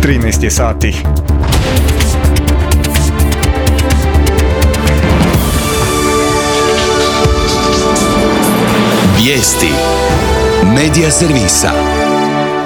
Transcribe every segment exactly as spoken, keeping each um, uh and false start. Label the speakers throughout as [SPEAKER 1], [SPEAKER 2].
[SPEAKER 1] trinaest je sati.
[SPEAKER 2] Vijesti Medija servisa.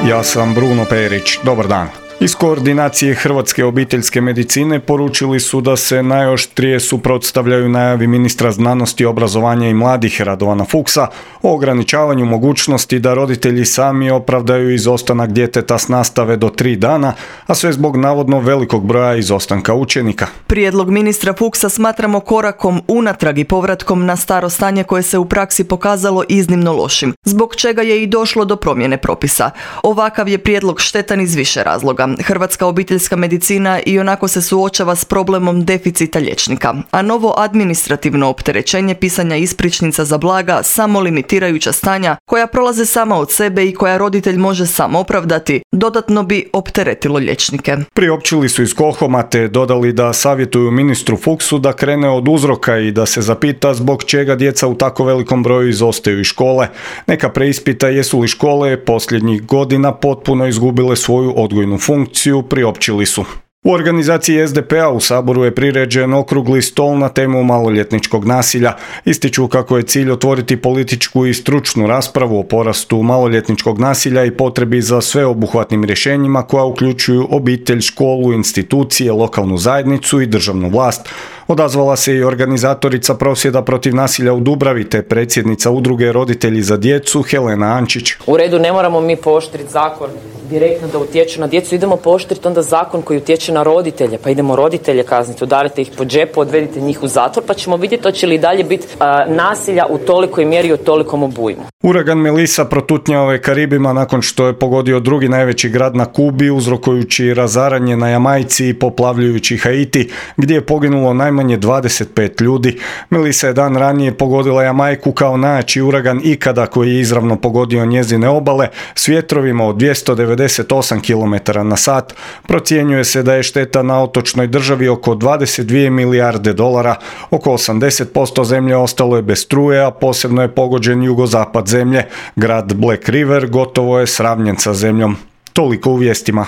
[SPEAKER 1] Ja sam Bruno Perić. Dobar dan. Iz koordinacije Hrvatske obiteljske medicine poručili su da se najoštrije suprotstavljaju najavi ministra znanosti, obrazovanja i mladih Radovana Fuchsa o ograničavanju mogućnosti da roditelji sami opravdaju izostanak djeteta s nastave do tri dana, a sve zbog navodno velikog broja izostanka učenika.
[SPEAKER 3] Prijedlog ministra Fuchsa smatramo korakom unatrag i povratkom na staro stanje koje se u praksi pokazalo iznimno lošim, zbog čega je i došlo do promjene propisa. Ovakav je prijedlog štetan iz više razloga. Hrvatska obiteljska medicina i onako se suočava s problemom deficita liječnika, a novo administrativno opterećenje pisanja ispričnica za blaga, samo limitirajuća stanja koja prolaze sama od sebe i koja roditelj može sam opravdati, dodatno bi opteretilo liječnike.
[SPEAKER 1] Priopćili su iz KOHOM-a te dodali da savjetuju ministru Fuchsu da krene od uzroka i da se zapita zbog čega djeca u tako velikom broju izostaju iz škole. Neka preispita jesu li škole posljednjih godina potpuno izgubile svoju odgojnu funkciju. funkciju priopćili su. U organizaciji es de pe a u Saboru je priređen okrugli stol na temu maloljetničkog nasilja. Ističu kako je cilj otvoriti političku i stručnu raspravu o porastu maloljetničkog nasilja i potrebi za sveobuhvatnim rješenjima koja uključuju obitelj, školu, institucije, lokalnu zajednicu i državnu vlast. Odazvala se i organizatorica prosvjeda protiv nasilja u Dubravi te predsjednica udruge Roditelji za djecu Helena Ančić.
[SPEAKER 4] U redu, ne moramo mi pooštriti zakon direktno da utječe na djecu, idemo pooštriti onda zakon koji utječe na roditelje, pa idemo roditelje kazniti, udarite ih po džepu, odvedite njih u zatvor, pa ćemo vidjeti hoće li i dalje biti uh, nasilja u tolikoj mjeri i u tolikom obujmu.
[SPEAKER 1] Uragan Melissa protutnjao je Karibima nakon što je pogodio drugi najveći grad na Kubi, uzrokujući razaranje na Jamajci i poplavljujući Haiti, gdje je poginulo najmanje dvadeset pet ljudi. Melissa je dan ranije pogodila Jamajku kao najjači uragan ikada koji je izravno pogodio njezine obale s vjetrovima od dvjesto devedeset osam kilometara na sat. Procjenjuje se da je šteta na otočnoj državi oko dvadeset dvije milijarde dolara. Oko osamdeset posto zemlje ostalo je bez struje, a posebno je pogođen jugozapad zemlje. Grad Black River gotovo je sravnjen sa zemljom. Toliko u vijestima.